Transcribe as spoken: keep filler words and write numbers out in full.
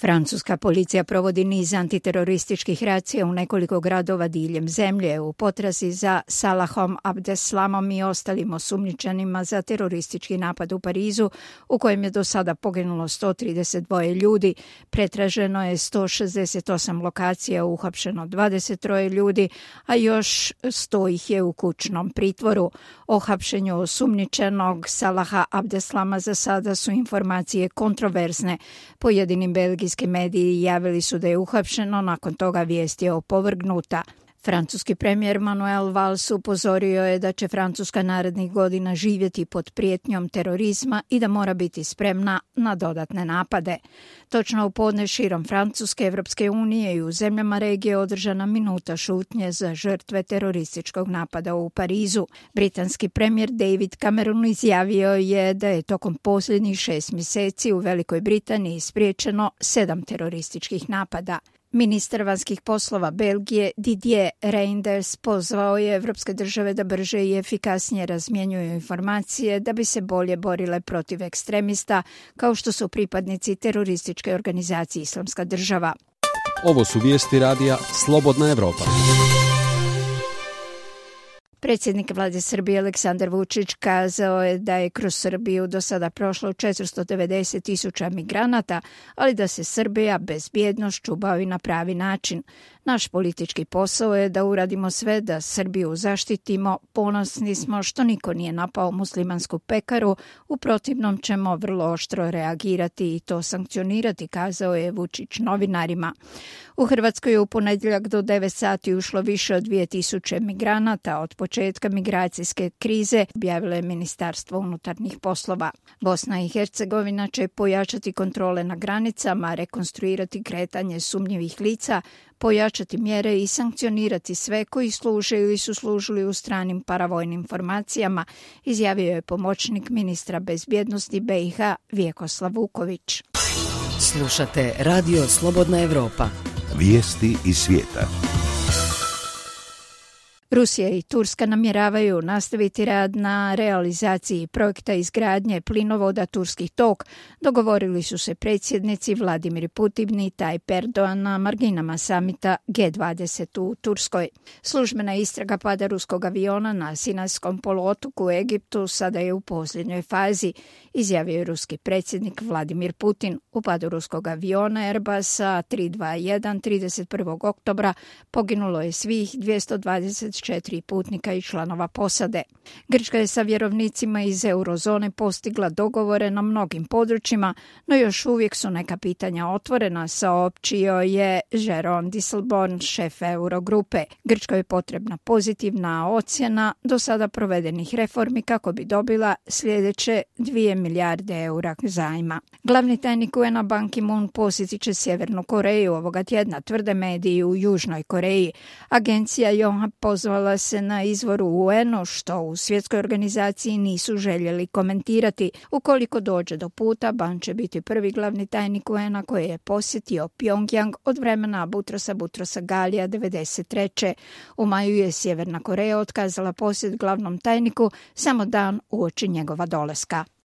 Francuska policija provodi niz antiterorističkih racija u nekoliko gradova diljem zemlje u potrazi za Salahom Abdeslamom i ostalim osumnjičenima za teroristički napad u Parizu, u kojem je do sada poginulo sto trideset dva ljudi, pretraženo je sto šezdeset osam lokacija, uhapšeno dvadeset tri ljudi, a još sto ih je u kućnom pritvoru. O hapšenju osumnjičenog Salaha Abdeslama za sada su informacije kontroverzne. Pojedinim belgijskim mediji javili su da je uhapšeno, nakon toga vijest je opovrgnuta. Francuski premijer Manuel Valls upozorio je da će Francuska narednih godina živjeti pod prijetnjom terorizma i da mora biti spremna na dodatne napade. Točno u podne širom Francuske, Evropske unije i u zemljama regije održana minuta šutnje za žrtve terorističkog napada u Parizu. Britanski premijer David Cameron izjavio je da je tokom posljednjih šest mjeseci u Velikoj Britaniji spriječeno sedam terorističkih napada. Ministar vanjskih poslova Belgije Didier Reynders pozvao je evropske države da brže i efikasnije razmjenjuju informacije da bi se bolje borile protiv ekstremista kao što su pripadnici terorističke organizacije Islamska država. Ovo su vijesti radija Slobodna Evropa. Predsjednik vlade Srbije Aleksandar Vučić kazao je da je kroz Srbiju do sada prošlo četiristo devedeset tisuća migranata, ali da se Srbija bezbjednošću bavi na pravi način. Naš politički posao je da uradimo sve da Srbiju zaštitimo. Ponosni smo što niko nije napao muslimansku pekaru, u protivnom ćemo vrlo oštro reagirati i to sankcionirati, kazao je Vučić novinarima. U Hrvatskoj je u ponedjeljak do devet sati ušlo više od dvije tisuće migranata od početka migracijske krize, objavilo je Ministarstvo unutarnjih poslova. Bosna i Hercegovina će pojačati kontrole na granicama, rekonstruirati kretanje sumnjivih lica, pojačati mjere i sankcionirati sve koji služe ili su služili u stranim paravojnim formacijama, izjavio je pomoćnik ministra bezbjednosti be i ha Vjekoslav Vuković. Slušate Radio Slobodna Evropa. Vijesti iz svijeta. Rusija i Turska namjeravaju nastaviti rad na realizaciji projekta izgradnje plinovoda Turski tok, dogovorili su se predsjednici Vladimir Putin i Tayyip Erdogan na marginama samita ge dvadeset u Turskoj. Službena istraga pada ruskog aviona na Sinajskom poluotoku u Egiptu sada je u posljednjoj fazi, izjavio je ruski predsjednik Vladimir Putin. U padu ruskog aviona Airbusa tri dva jedan trideset prvog oktobra poginulo je svih dvjesto dvadeset četiri putnika i članova posade. Grčka je sa vjerovnicima iz eurozone postigla dogovore na mnogim područjima, no još uvijek su neka pitanja otvorena, saopćio je Jeroen Dijsselbloem, šef Eurogrupe. Grčkoj je potrebna pozitivna ocjena do sada provedenih reformi kako bi dobila sljedeće dvije milijarde eura zajma. Glavni tajnik u en-a Ban Ki-moon posjetit će Sjevernu Koreju ovoga tjedna, tvrde mediji u Južnoj Koreji. Agencija Yonhap pozvala se na izvoru u en-u, što u svjetskoj organizaciji nisu željeli komentirati. Ukoliko dođe do puta, Ban će biti prvi glavni tajnik u en-a koji je posjetio Pyongyang od vremena Butrosa Butrosa Galija devedeset treće. U maju je Sjeverna Koreja otkazala posjet glavnom tajniku samo dan uoči njegova dolaska.